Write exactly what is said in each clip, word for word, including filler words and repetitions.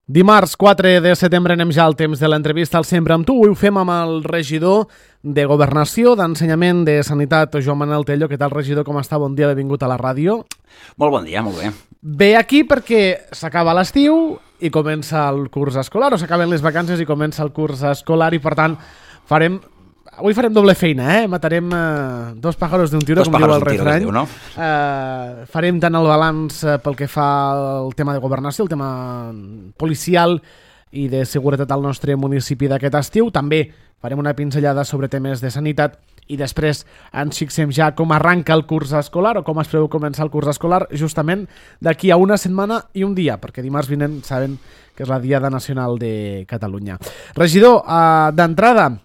Dimarts quatre de setembre anem ja al temps de l'entrevista al Sempre amb tu. Avui ho fem amb el regidor de Governació, d'Ensenyament, de Sanitat, Joan Manel Tello. Què tal, regidor? Com està? Bon dia, benvingut a la ràdio. Molt bon dia, molt bé. Ve aquí perquè s'acaba l'estiu i comença el curs escolar, o s'acaben les vacances i comença el curs escolar, i per tant farem... Avui farem doble feina, eh? Matarem uh, dos pájaros d'un tiro, dos com diu el tiro, refrany. diu, no? Uh, farem tant el balanç uh, pel que fa al tema de governació, el tema policial i de seguretat al nostre municipi d'aquest estiu. També farem una pinzellada sobre temes de sanitat i després ens fixem ja com arranca el curs escolar o com es preveu començar el curs escolar justament d'aquí a una setmana i un dia, perquè dimarts vinent saben que és la Diada Nacional de Catalunya. Regidor, uh, d'entrada,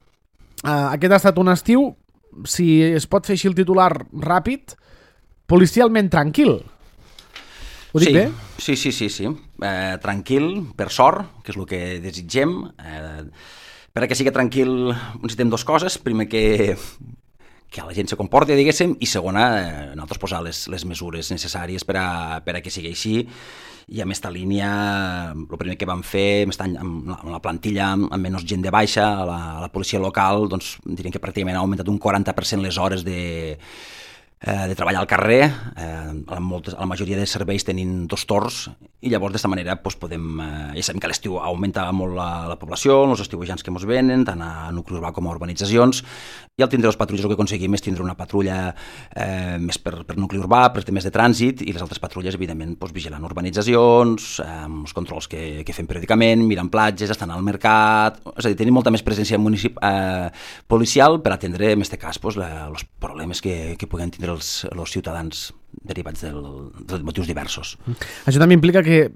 Uh, aquest ha estat un estiu, si es pot fer així el titular ràpid, policialment tranquil. Ho dic sí, bé? Sí, sí, sí, sí. Eh, tranquil, per sort, que és el que desitgem. Eh, per a que sigui tranquil necessitem dues coses. Primer, que, que la gent se comporti, diguéssim, i segona, eh, nosaltres posar les, les mesures necessàries per a, per a que sigui així. I amb aquesta línia, el primer que vam fer, amb la, amb la plantilla amb menys gent de baixa, a la, a la policia local, doncs diríem que pràcticament ha augmentat un quaranta per cent les hores de, eh, de treballar al carrer. Eh, a, moltes, a la majoria de serveis tenim dos torns, i llavors d'aquesta manera doncs, podem... Eh, ja sabem que a l'estiu augmenta molt la, la població, els estiuejants que ens venen, tant a nucli urbà com a urbanitzacions, i al tindre els patrulles el que aconseguim és tindre una patrulla eh, més per, per nucli urbà, per temes de trànsit, i les altres patrulles, evidentment, doncs, vigilant urbanitzacions, eh, els controls que, que fem periòdicament, mirant platges, estan al mercat... És a dir, tenim molta més presència municip, eh, policial per atendre, en aquest cas, doncs, la, els problemes que, que puguin tindre els, els ciutadans derivats del, de motius diversos. Això també implica que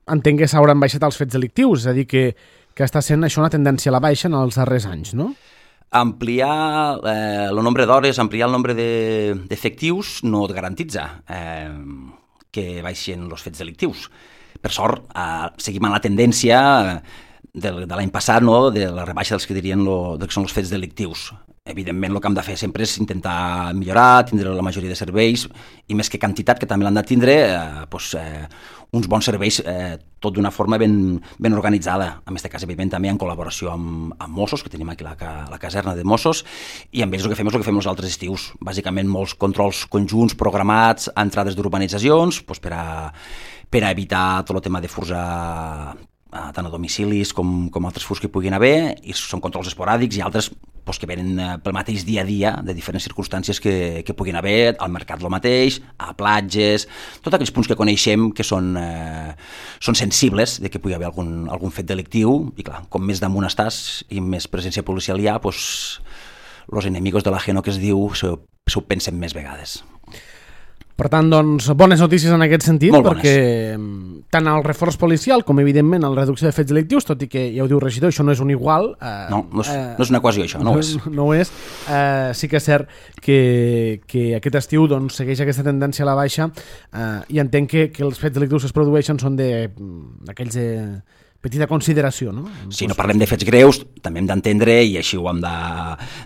entenc que s'hauran baixat els fets delictius, és a dir, que, que està sent això una tendència a la baixa en els darrers anys, no? Ampliar eh, el nombre d'hores, ampliar el nombre d'efectius de, no et garantitza eh, que baixin els fets delictius. Per sort, eh, seguim amb la tendència de, de l'any passat, no? De la rebaixa dels que dirien lo, que són els fets delictius. Evidentment, el que hem de fer sempre és intentar millorar, tindre la majoria de serveis, i més que quantitat, que també l'han de tindre, eh, doncs, eh, uns bons serveis, eh, tot d'una forma ben, ben organitzada. En aquest cas, evidentment, també en col·laboració amb, amb Mossos, que tenim aquí la, la caserna de Mossos, i amb ells el que fem és el que fem els altres estius. Bàsicament, molts controls conjunts programats a entrades d'urbanitzacions, doncs, per, a, per a evitar tot el tema de furs a, a, tant a domicilis com, com altres furs que puguin haver, i són controls esporàdics i altres doncs, que venen pel mateix dia a dia de diferents circumstàncies que, que puguin haver, al mercat el mateix, a platges, tots aquells punts que coneixem que són, eh, són sensibles de que pugui haver algun, algun fet delictiu, i clar, com més damunt estàs i més presència policial hi ha, doncs los enemigos de l'ajeno, que es diu, se, se ho pensen més vegades. Per tant, doncs, bones notícies en aquest sentit, molt perquè tant el reforç policial com, evidentment, la reducció de fets delictius, tot i que, ja ho diu regidor, això no és un igual. Eh, no, no és, eh, no és una equació, això, no, no ho és. No ho és. Eh, sí que és cert que, que aquest estiu doncs, segueix aquesta tendència a la baixa, eh, i entenc que, que els fets delictius que es produeixen són d'aquells de petita consideració, no? Si no parlem de fets greus, també hem d'entendre, i així ho hem de,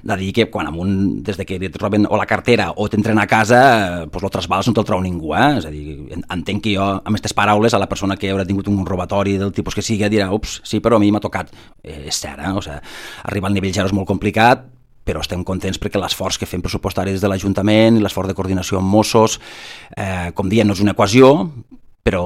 de dir, que quan un, des de que et roben o la cartera o t'entren a casa, doncs el trasbals no te'l trau ningú, eh? És a dir, entenc que jo, amb aquestes paraules, a la persona que haurà tingut un robatori del tipus que sigui, dirà, ups, sí, però a mi m'ha tocat. Eh, és cert, eh? O sigui, arribar al nivell zero és molt complicat, però estem contents perquè l'esforç que fem pressupostari des de l'Ajuntament i l'esforç de coordinació amb Mossos, eh, com diem, no és una equació, però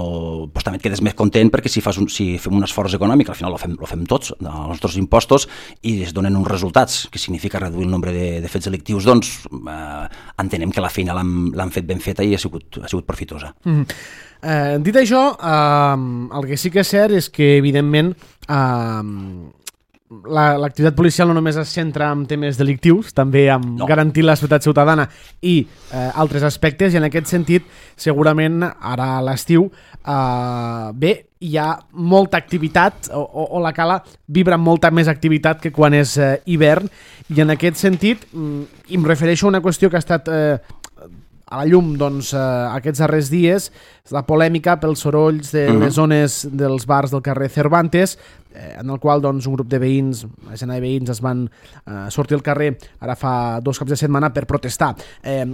pues, també et quedes més content perquè si, fas un, si fem un esforç econòmic, al final ho fem, ho fem tots, els nostres impostos, i es donen uns resultats, que significa reduir el nombre de, de fets delictius, doncs eh, entenem que la feina l'han fet ben feta i ha sigut, ha sigut profitosa. Mm-hmm. eh, dit això, eh, el que sí que és cert és que, evidentment, eh, l'activitat policial no només es centra en temes delictius, també en no. garantir la seguretat ciutadana i eh, altres aspectes, i en aquest sentit segurament ara a l'estiu eh, bé, hi ha molta activitat o, o, o la cala vibra amb molta més activitat que quan és eh, hivern, i en aquest sentit mm, em refereixo a una qüestió que ha estat eh, a la llum doncs, eh, aquests darrers dies, la polèmica pels sorolls de mm-hmm. les zones dels bars del carrer Cervantes, eh, en el qual doncs, un grup de veïns, una decena de veïns es van eh, sortir al carrer ara fa dos caps de setmana per protestar. Eh,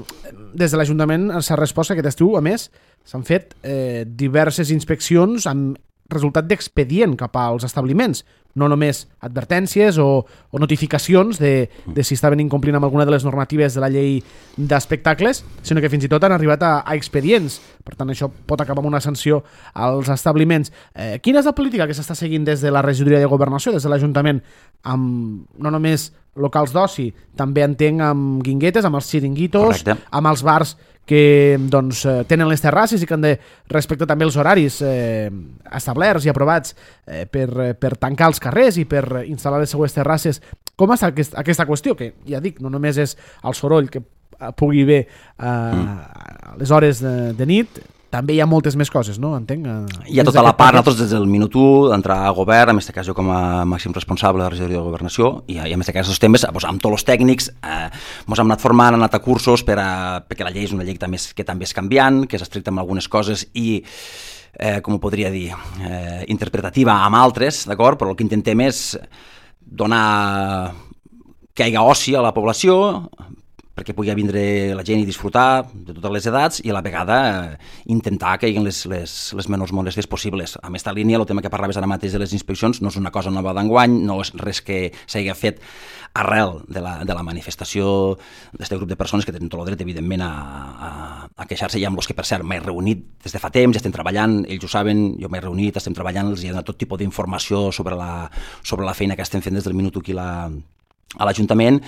des de l'Ajuntament s'ha respost que aquest estiu, a més, s'han fet eh, diverses inspeccions amb resultat d'expedient cap als establiments, no només advertències o, o notificacions de, de si estaven incomplint amb alguna de les normatives de la llei d'espectacles, sinó que fins i tot han arribat a, a expedients. Per tant, això pot acabar amb una sanció als establiments. Eh, quina és la política que s'està seguint des de la regidoria de Governació, des de l'Ajuntament, amb no només locals d'oci, també entenc amb guinguetes, amb els xiringuitos, correcte, amb els bars que doncs, tenen les terrasses i que han de respectar també els horaris eh, establerts i aprovats eh, per, per tancar els carrers i per instal·lar les seues terrasses. Com està aquest, aquesta qüestió? Que ja dic, no només és el soroll que pugui haver eh, a les hores de, de nit, també hi ha moltes més coses, no? Entenc. Eh, hi ha tota la part, nosaltres des del minut u, d'entrar a govern, en aquest cas jo com a màxim responsable de la regidoria de Governació, i, i en aquest cas els temes, doncs, amb tots els tècnics, eh, ens hem anat formant, hem anat a cursos, per a, perquè la llei és una llei que també és, que també és canviant, que és estricta amb algunes coses i, eh, com ho podria dir, eh, interpretativa amb altres, d'acord? Però el que intentem és donar que hi hagi oci a la població, perquè pugui vindre la gent i disfrutar de totes les edats i a la vegada eh, intentar que hi hagi les, les, les menors molèsties possibles. A aquesta línia, el tema que parlaves ara mateix de les inspeccions no és una cosa nova d'enguany, no és res que s'hagi fet arrel de la, de la manifestació d'aquest grup de persones que tenen tot el dret, evidentment, a, a, a queixar-se, i amb els que, per cert, m'he reunit des de fa temps, ja estem treballant, ells ho saben, jo m'he reunit, estem treballant, els hi he donat tot tipus d'informació sobre la, sobre la feina que estem fent des del minut aquí la a l'Ajuntament,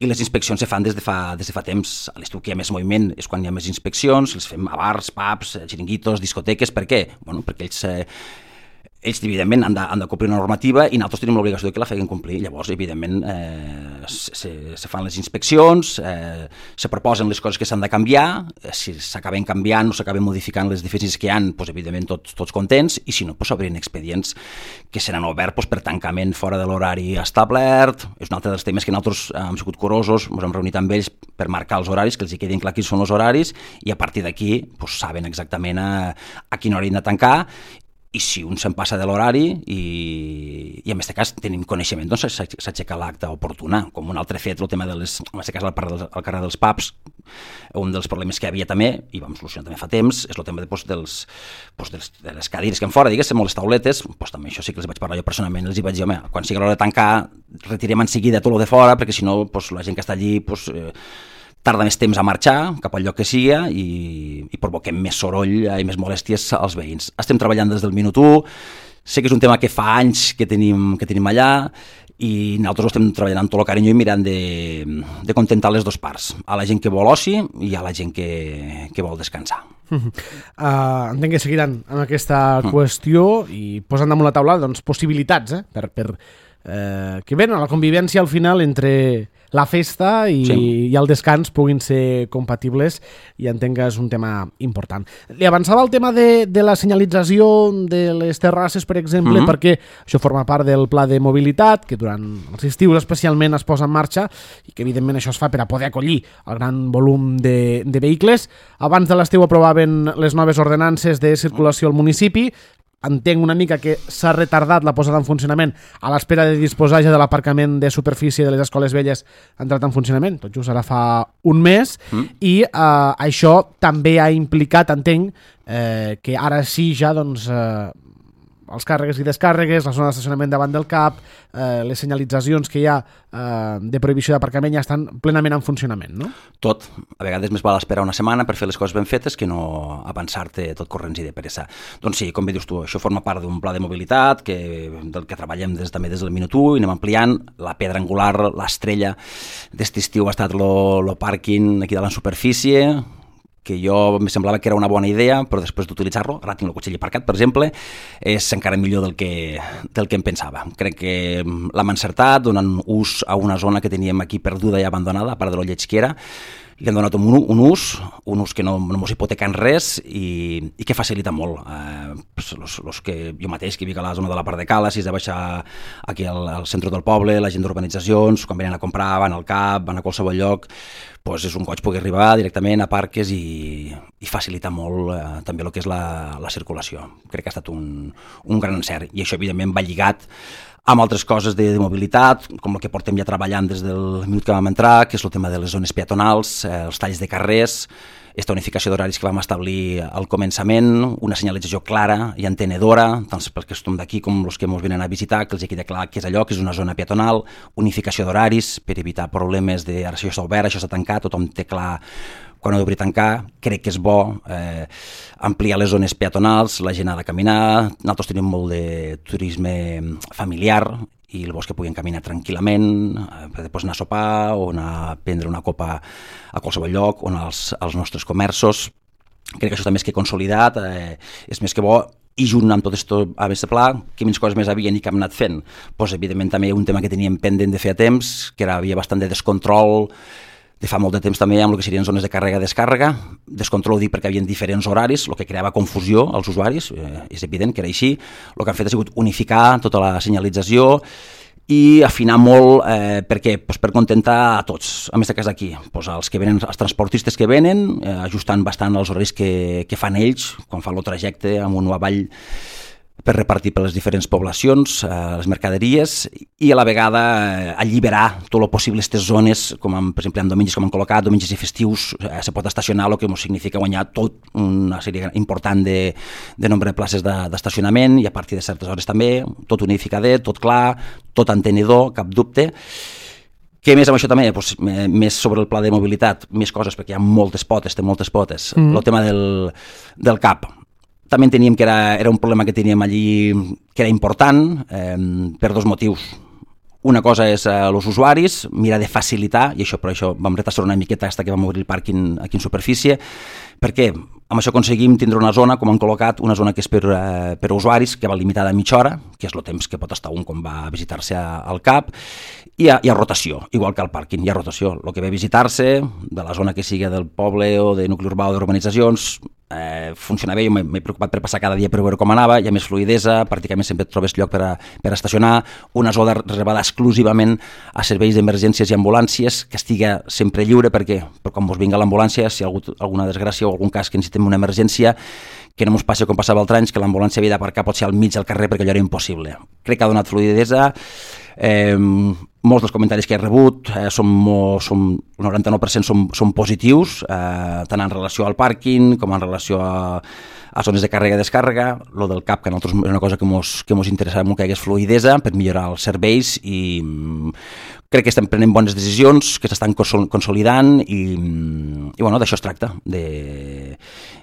i les inspeccions se fan des de fa, des de fa temps. A l'estiu que hi ha més moviment és quan hi ha més inspeccions, les fem a bars, pubs, xiringuitos, discoteques. Per què? Bueno, perquè ells, eh, ells evidentment, han de, han de complir una normativa i nosaltres tenim l'obligació de que la feien complir. Llavors, evidentment, eh, se, se fan les inspeccions, eh, se proposen les coses que s'han de canviar, eh, si s'acaben canviant o s'acaben modificant les deficiències que hi ha, doncs, evidentment, tots, tots contents, i si no, doncs, s'obrin expedients que seran oberts doncs, per tancament fora de l'horari establert. És un altre dels temes que nosaltres eh, hem sigut curosos, ens hem reunit amb ells per marcar els horaris, que els hi quedin clar quins són els horaris, i a partir d'aquí doncs, saben exactament a, a quina hora han de tancar, i si un se'n passa de l'horari i, i en aquest cas tenim coneixement, doncs s'aixeca l'acta oportuna, com un altre fet, el tema de les, en aquest cas al, al carrer dels pubs, un dels problemes que hi havia també, i vam solucionar també fa temps, és el tema de, doncs, dels, doncs, dels, de les cadires que en fora, diguéssim, o les tauletes, doncs també això sí que els vaig parlar jo personalment, els hi vaig dir, home, quan sigui l'hora de tancar, retirem en seguida tot el de fora, perquè si no, doncs, la gent que està allí, doncs, eh, tarda més temps a marxar cap al lloc que sigui i, i provoquem més soroll i més molèsties als veïns. Estem treballant des del minut u, sé que és un tema que fa anys que tenim, que tenim allà, i nosaltres estem treballant amb tot el carinyo i mirant de, de contentar les dues parts, a la gent que vol oci i a la gent que, que vol descansar. Uh, entenc que seguiran amb aquesta uh. qüestió i posant damunt la taula doncs, possibilitats eh, per, per eh, que bé, la convivència al final entre la festa i, sí. i el descans puguin ser compatibles, i entenc que és un tema important. Li avançava el tema de, de la senyalització de les terrasses, per exemple, mm-hmm. perquè això forma part del pla de mobilitat, que durant els estius especialment es posa en marxa, i que evidentment això es fa per a poder acollir el gran volum de, de vehicles. Abans de l'estiu aprovaven les noves ordenances de circulació al municipi. Entenc una mica que s'ha retardat la posada en funcionament a l'espera de disposar ja de l'aparcament de superfície de les escoles velles ha entrat en funcionament, tot just ara fa un mes, mm. i eh, això també ha implicat, entenc, eh, que ara sí ja doncs, eh, els càrregues i descàrregues, la zona d'estacionament davant del C A P, eh, les senyalitzacions que hi ha eh, de prohibició d'aparcament ja estan plenament en funcionament, no? Tot. A vegades més val esperar una setmana per fer les coses ben fetes que no avançar-te tot corrents i de pressa. Doncs sí, com bé dius tu, això forma part d'un pla de mobilitat que, del que treballem des, també des del minut u i anem ampliant. La pedra angular, l'estrella d'este estiu ha estat el pàrquing aquí de la superfície, que jo em semblava que era una bona idea, però després d'utilitzar-lo, ara tinc el cotxe aparcat, per exemple, és encara millor del que, del que em pensava. Crec que l'hem encertat, donant ús a una zona que teníem aquí perduda i abandonada, a part de lo lleig que era, i hem donat un, un ús, un ús que no, no mos hipoteca en res i, i que facilita molt. Eh, los, los que jo mateix, que vic a la zona de la part de Cala, si has de baixar aquí al, al centre del poble, la gent d'urbanitzacions, quan venen a comprar, van al C A P, van a qualsevol lloc, doncs és un goig poder arribar directament a parques i, i facilita molt eh, també el que és la, la circulació. Crec que ha estat un, un gran encert, i això evidentment va lligat amb altres coses de, de mobilitat, com el que portem ja treballant des del minut que vam entrar, que és el tema de les zones peatonals, eh, els talls de carrers, aquesta unificació d'horaris que vam establir al començament, una senyalització clara i entenedora, tant pels que estem d'aquí com els que ens venen a visitar, que els quedi clar que és allò, que és una zona peatonal, unificació d'horaris per evitar problemes de ara això està obert, això s'ha tancat, tothom té clar quan ho d'obrir tancar. Crec que és bo eh, ampliar les zones peatonals, la gent ha de caminar, nosaltres tenim molt de turisme familiar, i llavors que puguin caminar tranquil·lament, per després anar a sopar o anar a prendre una copa a qualsevol lloc, o anar als, als nostres comerços. Crec que això també és que consolidat, eh, és més que bo, i junt amb tot això a més de pla, que menys coses més havien i que hem anat fent. Pues, evidentment també un tema que teníem pendent de fer a temps, que era, havia bastant de descontrol, de fa molt de temps també amb el que serien zones de càrrega-descàrrega. Descontrol ho dic perquè hi havia diferents horaris, el que creava confusió als usuaris, eh, és evident que era així. El que han fet ha sigut unificar tota la senyalització i afinar molt, eh, per què? Pues per contentar a tots, a més de cas aquí, pues els que venen, els transportistes que venen, eh, ajustant bastant els horaris que, que fan ells, quan fan el trajecte amunt o avall, per repartir per les diferents poblacions, eh, les mercaderies, i a la vegada eh, alliberar tot el possible aquestes zones, com en, per exemple en diumenges com han col·locat, diumenges i festius, eh, se pot estacionar, el que ens significa guanyar tot una sèrie important de, de nombre de places de, d'estacionament, i a partir de certes hores també, tot unificadet, tot clar, tot entenedor, cap dubte. Què més amb això també? Pues, més sobre el pla de mobilitat, més coses, perquè hi ha moltes potes, té moltes potes. Mm. El tema del, del C A P. També enteníem que era, era un problema que teníem allí que era important eh, per dos motius. Una cosa és eh, els usuaris, mirar de facilitar, i això per això vam retrasar una miqueta fins que vam obrir el pàrquing aquí en superfície, perquè amb això aconseguim tindre una zona, com han col·locat, una zona que és per, eh, per usuaris, que va limitada a mitja hora, que és el temps que pot estar un quan va a visitar-se al C A P, i hi ha, hi ha rotació, igual que al pàrquing, hi ha rotació. El que ve a visitar-se, de la zona que sigui del poble o de nucli urbà o d'urbanitzacions, eh, funciona bé. Jo m'he preocupat per passar cada dia per veure com anava, hi ha més fluidesa, pràcticament sempre et trobes lloc per, a, per estacionar, una zona reservada exclusivament a serveis d'emergències i ambulàncies, que estigui sempre lliure, perquè per quan vos vinga l'ambulància, si hi ha hagut alguna desgràcia o algun cas que necessitem una emergència, que no ens passi com passava altre anys, que l'ambulància havia d'aparcar potser al mig del carrer perquè allò era impossible. Crec que ha donat fluidesa. Eh, molts dels comentaris que he rebut eh, són, són, el noranta-nou per cent són, són positius, eh, tant en relació al pàrquing com en relació a, a zones de càrrega i descàrrega. Lo del C A P, que a nosaltres és una cosa que mos, que mos interessava molt que hi hagués fluidesa per millorar els serveis, i crec que estem prenent bones decisions, que s'estan consolidant, i, i bueno, d'això es tracta, de,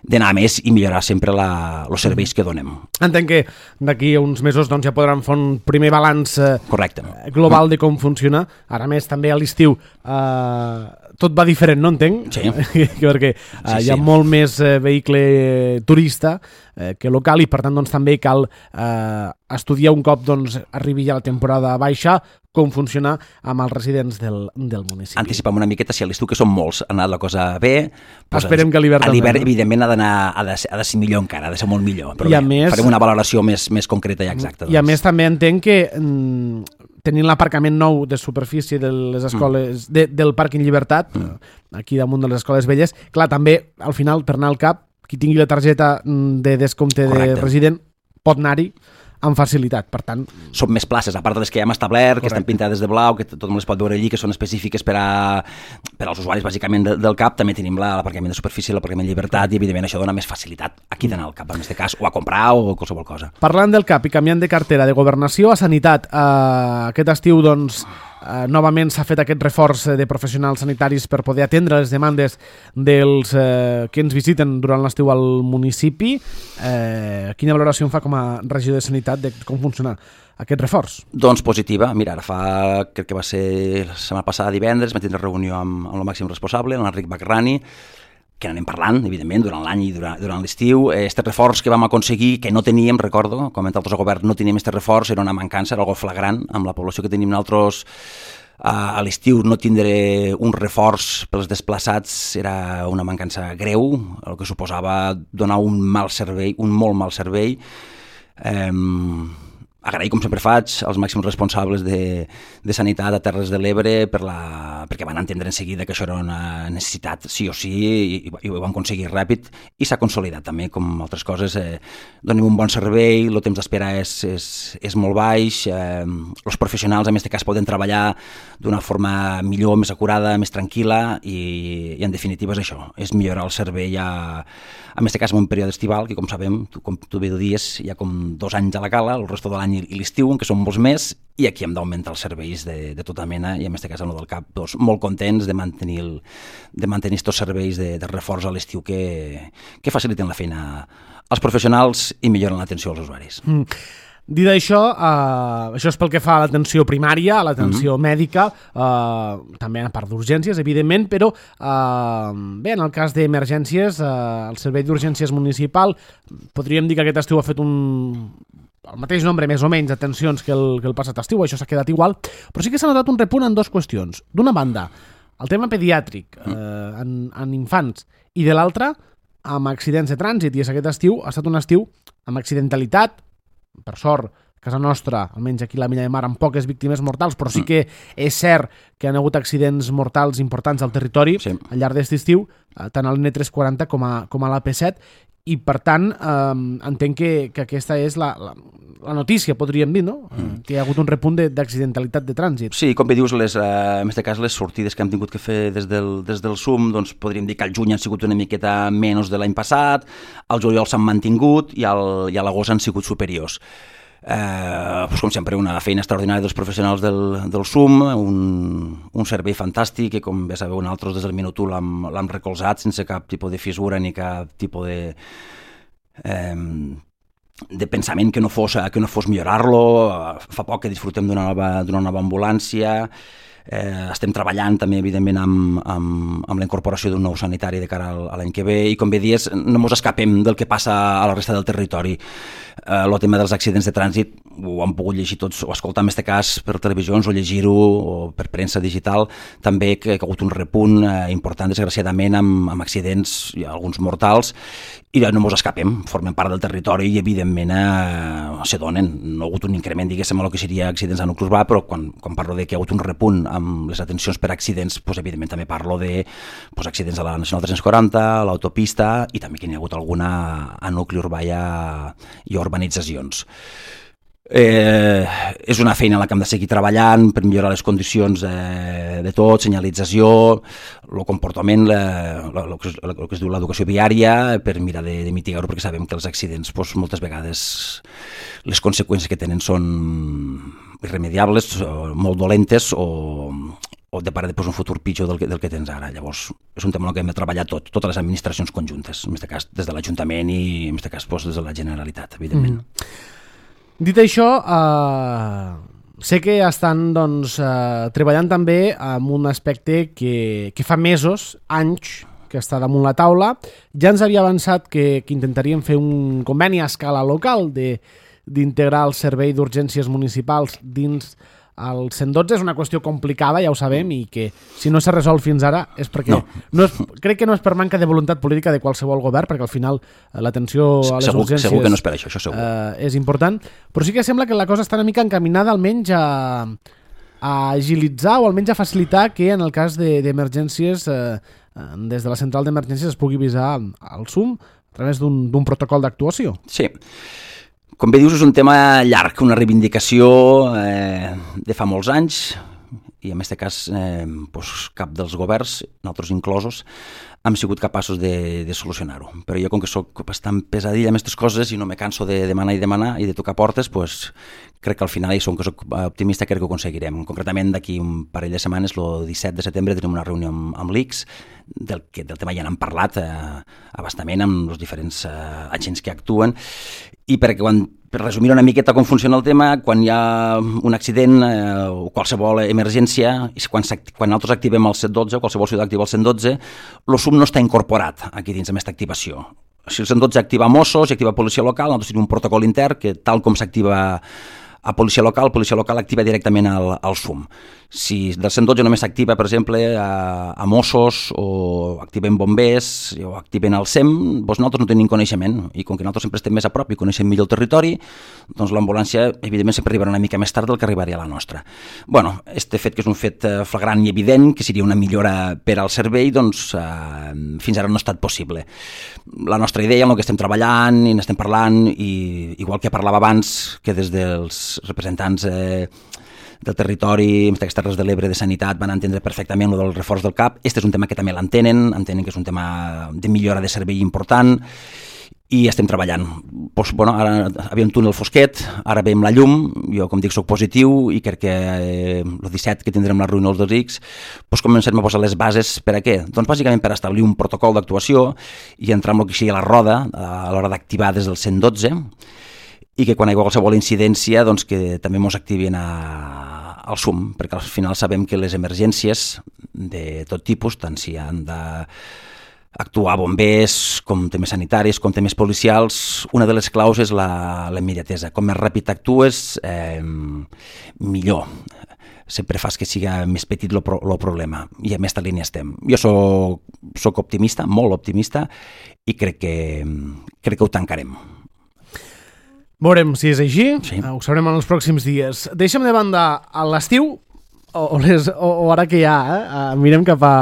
d'anar més i millorar sempre la, els serveis que donem. Entenc que d'aquí a uns mesos doncs, ja podran fer un primer balanç eh, Correcte. global de com funciona. Ara més també a l'estiu eh, tot va diferent, no entenc? Sí. Perquè eh, sí, hi ha sí. molt més eh, vehicle turista eh, que local, i per tant doncs, també cal eh, estudiar un cop doncs, arribi ja la temporada baixa com funciona amb els residents del, del municipi. Anticipem una miqueta, si a l'estiu, que són molts, ha anat la cosa bé. Doncs esperem que a l'hivern també. A l'hivern, no? evidentment, ha d'anar, ha de, ha de ser millor encara, ha de ser molt millor. Però I a bé, més, farem una valoració més, més concreta i exacta. I a doncs. més també entenc que mm, tenint l'aparcament nou de superfície de les escoles, mm. de, del Pàrquing Llibertat, mm. aquí damunt de les escoles velles, clar, també, al final, per anar al C A P, qui tingui la targeta de descompte Correcte. De resident pot anar-hi amb facilitat, per tant... Són més places, a part de les que ja hem establert, Correcte. Que estan pintades de blau, que tothom les pot veure allí, que són específiques per, a, per als usuaris, bàsicament, de, del C A P. També tenim la, l'aparcament de superfície, l'aparcament Llibertat, i, evidentment, això dona més facilitat aquí d'anar al C A P, en aquest cas, o a comprar o qualsevol cosa. Parlant del C A P i canviant de cartera de governació a sanitat, eh, aquest estiu, doncs, eh, novament s'ha fet aquest reforç de professionals sanitaris per poder atendre les demandes dels eh, que ens visiten durant l'estiu al municipi. Eh, quina valoració en fa com a regidor de sanitat de com funciona aquest reforç? Doncs positiva. Mira, ara fa, crec que va ser la setmana passada, divendres, vam tindre reunió amb, amb el màxim responsable, l'Enric Bacrani, que n'anem parlant, evidentment, durant l'any i durant, durant l'estiu. Este reforç que vam aconseguir, que no teníem, recordo, com a altres govern no teníem este reforç, era una mancança, era algo flagrant amb la població que tenim nosaltres. A l'estiu no tindre un reforç pels desplaçats era una mancança greu, el que suposava donar un mal servei, un molt mal servei. Eh, agrair, com sempre faig, als màxims responsables de, de Sanitat a Terres de l'Ebre per la, perquè van entendre en seguida que això era una necessitat sí o sí i, i ho van aconseguir ràpid i s'ha consolidat també, com altres coses. Eh, donem un bon servei, el temps d'espera és, és, és molt baix, eh, els professionals en aquest cas poden treballar d'una forma millor, més acurada, més tranquil·la i, i en definitiva és això, és millorar el servei a, en aquest cas en un període estival que com sabem, tu, com tu bé ho dies, hi ha com dos anys a la cala, el resto de l'any i l'estiu, que són molts més, i aquí hem d'augmentar els serveis de, de tota mena, i en aquest cas en el del CAP, doncs, molt contents de mantenir, el, de mantenir estos serveis de, de reforç a l'estiu que, que faciliten la feina als professionals i milloren l'atenció als usuaris. Mm. Dit això, eh, això és pel que fa a l'atenció primària, a l'atenció mm-hmm. mèdica, eh, també a part d'urgències, evidentment, però eh, bé, en el cas d'emergències, eh, el servei d'urgències municipal, podríem dir que aquest estiu ha fet un... el mateix nombre, més o menys, d'atencions que, el, que el passat estiu, això s'ha quedat igual, però sí que s'ha notat un repunt en dues qüestions. D'una banda, el tema pediàtric eh, en, en infants, i de l'altra, amb accidents de trànsit, i és aquest estiu ha estat un estiu amb accidentalitat, per sort, a casa nostra, almenys aquí a la Milla de Mar, amb poques víctimes mortals, però sí que és cert que hi ha hagut accidents mortals importants al territori sí. al llarg d'aquest estiu, tant a l'N tres cents quaranta com a, com a l'A P set, i per tant eh, entenc que, que aquesta és la, la, la notícia, podríem dir, no? Mm. Que hi ha hagut un repunt d'accidentalitat de, de trànsit. Sí, com bé dius, les, eh, en aquest cas les sortides que hem tingut que fer des del, des del S U M, doncs podríem dir que al juny han sigut una miqueta menys de l'any passat, al juliol s'han mantingut i, al, i a l'agost han sigut superiors. Eh, doncs com sempre, una feina extraordinària dels professionals del, del S U M, un, un servei fantàstic que, com bé sabeu, nosaltres des del minut u l'hem recolzat sense cap tipus de fissura ni cap tipus de, eh, de pensament que no fos, que no fos millorar-lo. Fa poc que disfrutem d'una nova, d'una nova ambulància. Eh, estem treballant també evidentment amb, amb, amb la incorporació d'un nou sanitari de cara a l'any que ve i com bé dies no ens escapem del que passa a la resta del territori. Eh, el tema dels accidents de trànsit ho han pogut llegir tots o escoltar en aquest cas per televisions o llegir-ho o per premsa digital també que, que ha hagut un repunt eh, important desgraciadament amb, amb accidents i alguns mortals i no ens escapem, formem part del territori i evidentment eh, se donen. No ha hagut un increment, diguéssim, a el que seria accidents a nucli urbà, però quan, quan parlo de que ha hagut un repunt amb les atencions per accidents, doncs, evidentment també parlo de doncs, accidents a la Nacional tres cents quaranta, a l'autopista i també que n'hi ha hagut alguna a nucli urbà i a, i a urbanitzacions. Eh, és una feina en la que hem de seguir treballant per millorar les condicions eh, de tot, senyalització, el comportament, el que, que es diu l'educació viària, per mirar de, de mitigar-ho, perquè sabem que els accidents doncs, moltes vegades les conseqüències que tenen són irremediables, molt dolentes o, o de parar després un futur pitjor del que, del que tens ara. Llavors, és un tema en què hem de treballar tot, totes les administracions conjuntes, en aquest cas des de l'Ajuntament i en aquest cas doncs, des de la Generalitat, evidentment. Mm. Dit això, eh, sé que estan doncs, eh, treballant també en un aspecte que, que fa mesos, anys, que està damunt la taula. Ja ens havia avançat que, que intentaríem fer un conveni a escala local de, d'integrar el servei d'urgències municipals dins el cent dotze. És una qüestió complicada, ja ho sabem, i que si no s'ha resolt fins ara és perquè... No. No és, crec que no és per manca de voluntat política de qualsevol govern, perquè al final l'atenció a les segur, urgències segur que no és per això, això segur. Eh, és important, però sí que sembla que la cosa està una mica encaminada almenys a, a agilitzar o almenys a facilitar que en el cas de, d'emergències eh, des de la central d'emergències es pugui avisar al S U M a través d'un, d'un protocol d'actuació. Sí. Com bé dius, és un tema llarg, una reivindicació eh, de fa molts anys i en aquest cas eh, doncs cap dels governs, nosaltres inclosos, hem sigut capaços de, de solucionar-ho. Però jo, com que soc bastant pesadilla amb aquestes coses i no me canso de demanar i demanar i de tocar portes, doncs crec que al final, i som que soc optimista, crec que ho aconseguirem. Concretament, d'aquí un parell de setmanes, el disset de setembre, tenim una reunió amb, amb l'I C S, del, que, del tema ja n'hem parlat eh, abastament amb els diferents eh, agents que actuen, i perquè quan, per resumir una miqueta com funciona el tema, quan hi ha un accident eh, o qualsevol emergència, quan, quan nosaltres activem el cent dotze, qualsevol ciutat activa el cent dotze, el S U M no està incorporat aquí dins amb aquesta activació. Si el cent dotze activa Mossos i activa policia local, nosaltres tenim un protocol intern que, tal com s'activa a policia local, policia local activa directament el, el S U M. Si del cent dotze només s'activa, per exemple, a, a Mossos o activen bombers o activen el S E M, doncs nosaltres no tenim coneixement i com que nosaltres sempre estem més a prop i coneixem millor el territori, doncs l'ambulància evidentment sempre arribarà una mica més tard del que arribaria a la nostra. Bueno, este fet que és un fet flagrant i evident, que seria una millora per al servei, doncs eh, fins ara no ha estat possible. La nostra idea, en el que estem treballant i n'estem parlant, i igual que parlava abans, que des dels representants eh, del territori, d'aquestes Terres de l'Ebre de Sanitat, van entendre perfectament el del reforç del C A P. Este és un tema que també l'entenen, entenen que és un tema de millora de servei important, i estem treballant. Pues, bueno, ara havia un túnel fosquet, ara veiem la llum, jo com dic soc positiu i crec que eh, el disset que tindrem la reunió dels X, pues, comencem a posar les bases per a què? Doncs bàsicament per establir un protocol d'actuació i entrar en el que sigui la roda a l'hora d'activar des del cent dotze, i que quan hi ha qualsevol incidència doncs que també ens activin a, al S U M, perquè al final sabem que les emergències de tot tipus, tant si han de actuar bombers, com temes sanitaris, com temes policials, una de les claus és la, la immediatesa. Com més ràpid actues, eh, millor. Sempre fas que siga més petit el pro, problema, i a aquesta línia estem. Jo soc, soc optimista, molt optimista, i crec que, crec que ho tancarem. Veurem si és així, sí. Ho sabrem en els pròxims dies. Deixem de banda a l'estiu, o, o, les, o, o ara que hi ha, eh? mirem cap a,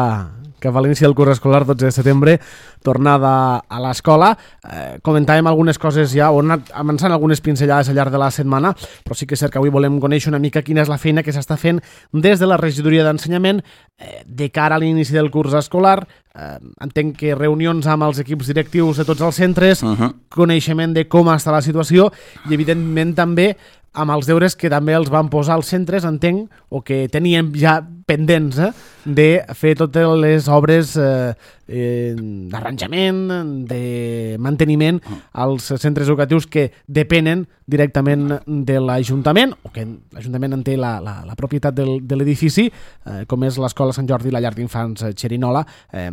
cap a l'inici del curs escolar, dotze de setembre, tornada a l'escola. Eh, comentàvem algunes coses ja, o hem anat avançant algunes pinzellades al llarg de la setmana, però sí que és cert que avui volem conèixer una mica quina és la feina que s'està fent des de la regidoria d'ensenyament eh, de cara a l'inici del curs escolar. Eh, entenc que reunions amb els equips directius de tots els centres, uh-huh. coneixement de com està la situació i evidentment també amb els deures que també els van posar als centres, entenc, o que teníem ja pendents eh, de fer totes les obres eh, eh, d'arranjament, de manteniment als centres educatius que depenen directament de l'Ajuntament, o que l'Ajuntament en té la, la, la propietat del, de l'edifici, eh, com és l'Escola Sant Jordi i la Llar d'Infants Xerinola. Eh,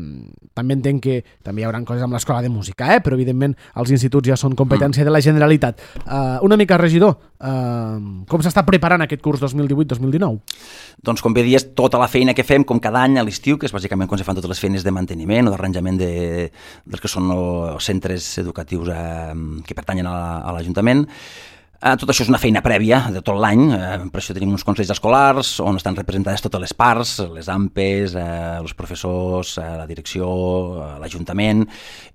també entenc que també hi haurà coses amb l'Escola de Música, eh, però evidentment els instituts ja són competència de la Generalitat. Eh, una mica, regidor, eh, com s'està preparant aquest curs dos mil divuit dos mil dinou? Doncs com bé dies, tota la feina que fem, com cada any a l'estiu, que és bàsicament com se fan totes les feines de manteniment o d'arranjament de, dels que són els centres educatius eh, que pertanyen a, a l'Ajuntament. Eh, tot això és una feina prèvia de tot l'any, eh, per això tenim uns consells escolars on estan representades totes les parts, les A M P Es, eh, els professors, eh, la direcció, eh, l'Ajuntament,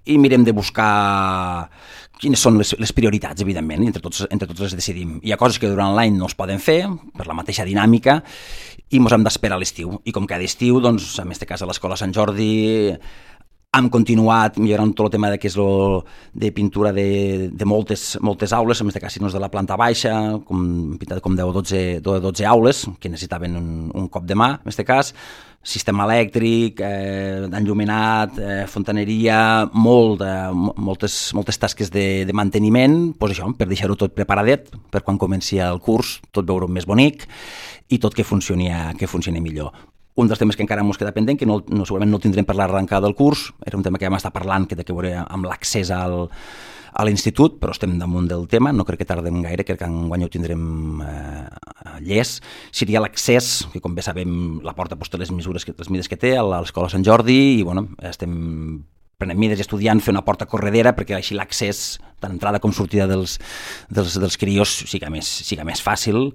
i mirem de buscar quines són les, les prioritats, evidentment, i entre tots, entre tots les decidim. Hi ha coses que durant l'any no es poden fer, per la mateixa dinàmica, i ens hem d'esperar a l'estiu. I com cada estiu, doncs, en aquest cas a l'Escola Sant Jordi, hem continuat millorant tot el tema de, que és lo, de pintura de, de moltes, moltes aules, en aquest cas, si no és de la planta baixa, com, pintat com deu o dotze aules, que necessitaven un, un cop de mà, en aquest cas, sistema elèctric, eh, enllumenat, eh, fontaneria, molt de, moltes, moltes tasques de, de manteniment, doncs això, per deixar-ho tot preparadet, per quan comenci el curs, tot veure més bonic i tot que funcioni, que funcioni millor. Un dels temes que encara ens queda pendent, que no, no, segurament no el tindrem per l'arrencada del curs, era un tema que vam estar parlant, que té que veure amb l'accés al, a l'institut, però estem damunt del tema, no crec que tardem gaire, crec que enguany ho tindrem eh, llest. Seria l'accés, que com bé sabem la porta posta les mesures que, les mides que té a l'Escola Sant Jordi, i bueno, estem prenent mides i estudiant fer una porta corredera perquè així l'accés, tant entrada com sortida dels, dels, dels crios, siga més, siga més fàcil,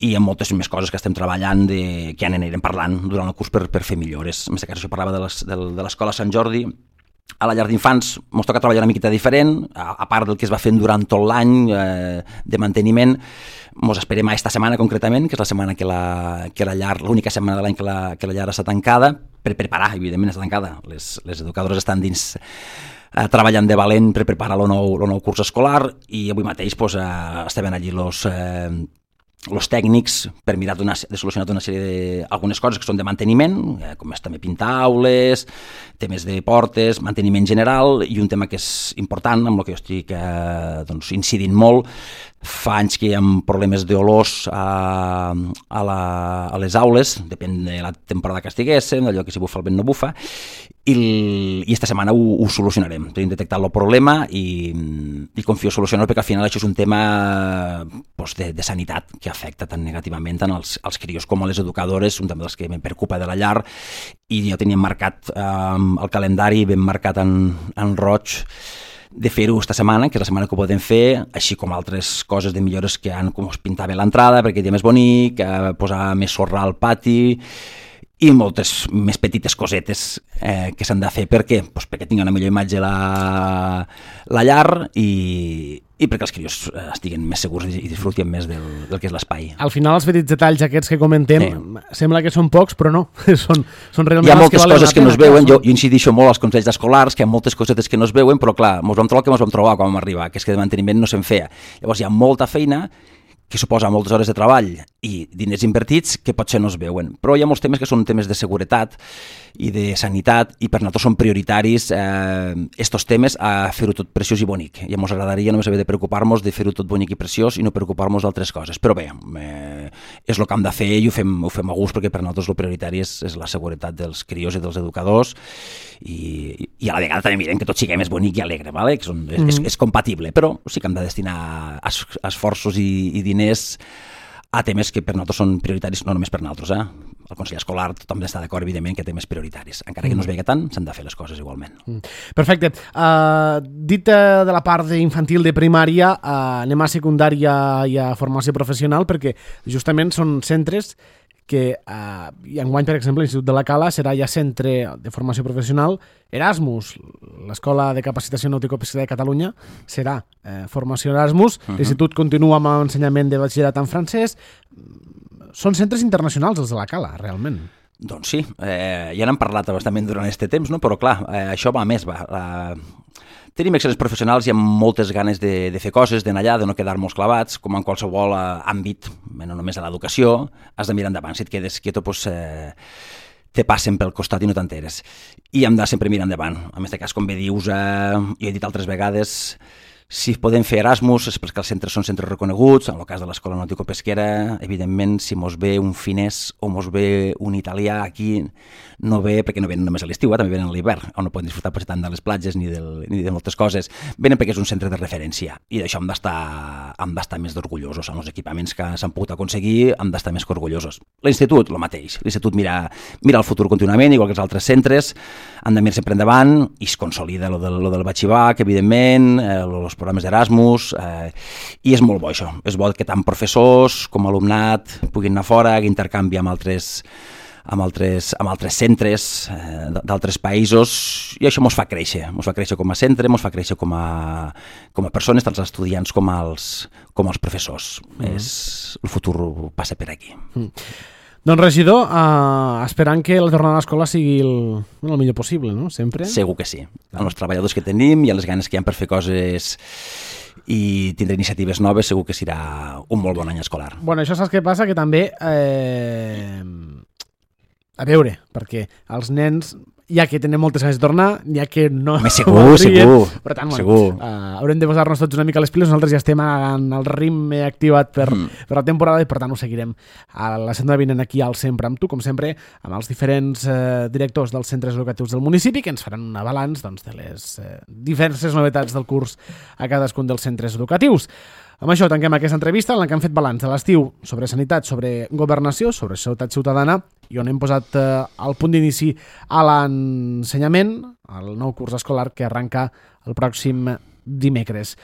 i amb moltes més coses que estem treballant de, que ja n'anirem parlant durant el curs per, per fer millores. En aquest cas, això parlava de, les, de, de l'Escola Sant Jordi. A la Llar d'Infants ens toca treballar una miqueta diferent, a, a part del que es va fent durant tot l'any eh, de manteniment. Ens esperem a esta setmana concretament, que és la setmana que la, que la llar, l'única setmana de l'any que la, que la llar està tancada, per preparar, evidentment està tancada. Les, les educadores estan dins eh, treballant de valent per preparar el nou, el nou curs escolar, i avui mateix pues, eh, estaven allí los... Eh, els tècnics per mirar de solucionar una sèrie de algunes coses que són de manteniment, eh, com és també pintar aules, temes de portes, manteniment general, i un tema que és important, amb el que jo estic eh, doncs, incidint molt. Fa anys que hi ha problemes d'olors a, a, la, a les aules, depèn de la temporada que estiguéssim, d'allò que si bufa el vent no bufa, i, i esta setmana ho, ho solucionarem. Tenim detectat el problema i, i confio solucionar-ho, perquè al final això és un tema pues, de, de sanitat que afecta tan negativament tant als, als crios com a les educadores, un tema dels que me preocupa de la llar, i ja teníem marcat eh, el calendari ben marcat en, en roig de fer-ho esta setmana, que és la setmana que ho podem fer, així com altres coses de millores que han com es pintar bé l'entrada perquè quedi més bonic, eh, posar més sorra al pati i moltes més petites cosetes eh, que s'han de fer. Per què? Pues perquè tingui una millor imatge la, la llar i, i perquè els crios estiguen més segurs i disfrutin més del, del que és l'espai. Al final els petits detalls aquests que comentem sí. Sembla que són pocs, però no, són, són realment hi ha moltes que coses que no es veuen, jo, jo incidixo molt als consells escolars, que hi ha moltes cosetes que no es veuen, però clar, ens vam trobar el que ens vam trobar quan vam arribar, que és que de manteniment no se'n feia. Llavors hi ha molta feina que suposa moltes hores de treball i diners invertits que potser no es veuen. Però hi ha molts temes que són temes de seguretat i de sanitat i per nosaltres són prioritaris eh, estos temes a fer-ho tot preciós i bonic. I ens agradaria només haver de preocupar-nos de fer-ho tot bonic i preciós i no preocupar-nos d'altres coses. Però bé, eh, és el que hem de fer i ho fem, ho fem a gust perquè per nosaltres el prioritari és, és la seguretat dels crios i dels educadors i, i a la vegada també mirem que tot sigui més bonic i alegre, ¿vale? Que són, és, mm. és, és compatible, però sí que hem de destinar es, esforços i, i diners a temes que per nosaltres són prioritaris, no només per nosaltres, eh? El Consell Escolar tothom està d'acord, evidentment, que té temes prioritaris. Encara que no es vegi tant, s'han de fer les coses igualment. Perfecte. Uh, dit uh, de la part infantil de primària, uh, anem a secundària i a formació professional, perquè justament són centres que uh, i enguany, per exemple, l'Institut de la Cala serà ja centre de formació professional Erasmus. L'Escola de Capacitació Nàutico-Pesquera de Catalunya serà eh, formació Erasmus. Uh-huh. L'Institut continua amb l'ensenyament de batxillerat en francès. Són centres internacionals, els de la Cala, realment. Doncs sí, eh, ja n'hem parlat bastament durant aquest temps, no? Però clar, eh, això va més, va... La... Tenim excel·lents professionals i amb moltes ganes de, de fer coses, d'anar allà, de no quedar-nos clavats, com en qualsevol eh, àmbit, no només a l'educació, has de mirar endavant. Si et quedes quieto, doncs, eh, te passen pel costat i no t'enteres. I hem de sempre mirar endavant. En aquest cas, com bé dius, eh, jo he dit altres vegades, si podem fer Erasmus és perquè els centres són centres reconeguts, en el cas de l'Escola Nàutico-Pesquera, evidentment, si mos ve un finès o mos ve un italià aquí, no ve, perquè no venen només a l'estiu, eh, també venen a l'hivern, on no poden disfrutar potser tant de les platges ni, del, ni de moltes coses, venen perquè és un centre de referència, i d'això hem d'estar hem d'estar més orgullosos, amb els equipaments que s'han pogut aconseguir, hem d'estar més que orgullosos. L'Institut, el mateix, l'Institut mira, mira el futur contínuament, igual que els altres centres, han de mirar sempre endavant, i es consolida lo del, lo del batxibac, evidentment, eh, els programes d'Erasmus, eh, i és molt bo això, és bo que tant professors com alumnat puguin anar fora, que intercanvi amb altres amb altres, amb altres centres eh, d'altres països, i això ens fa créixer, ens fa créixer com a centre, ens fa créixer com a, com a persones, tant els estudiants com els, com els professors. Mm. És, el futur passa per aquí. Mm. Doncs regidor, uh, esperant que la tornada a l'escola sigui el, el millor possible, no? Sempre? Segur que sí. Amb els treballadors que tenim i les ganes que hi ha per fer coses i tindre iniciatives noves, segur que serà un molt bon any escolar. Bueno, això saps què passa? Que també... Eh... A veure, perquè els nens, ja que tenen moltes ganes de tornar, ja que no... Més segur, segur. Per tant, bueno, segur. Uh, haurem de posar-nos tots una mica les piles, nosaltres ja estem en el ritme activat per, mm. per la temporada i per tant ho seguirem a la setmana vinent aquí al Sempre amb tu, com sempre, amb els diferents uh, directors dels centres educatius del municipi que ens faran un balanç doncs, de les uh, diverses novetats del curs a cadascun dels centres educatius. Amb això tanquem aquesta entrevista en la que hem fet balanç de l'estiu sobre sanitat, sobre governació, sobre seguretat ciutadana i on hem posat eh, el punt d'inici a l'ensenyament, al nou curs escolar que arranca el pròxim dimecres.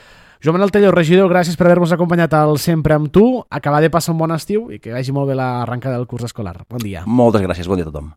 Joan Manuel Tello, regidor, gràcies per haver-nos acompanyat al Sempre amb tu. Acabar de passar un bon estiu i que vagi molt bé l'arrencada del curs escolar. Bon dia. Moltes gràcies, bon dia a tothom.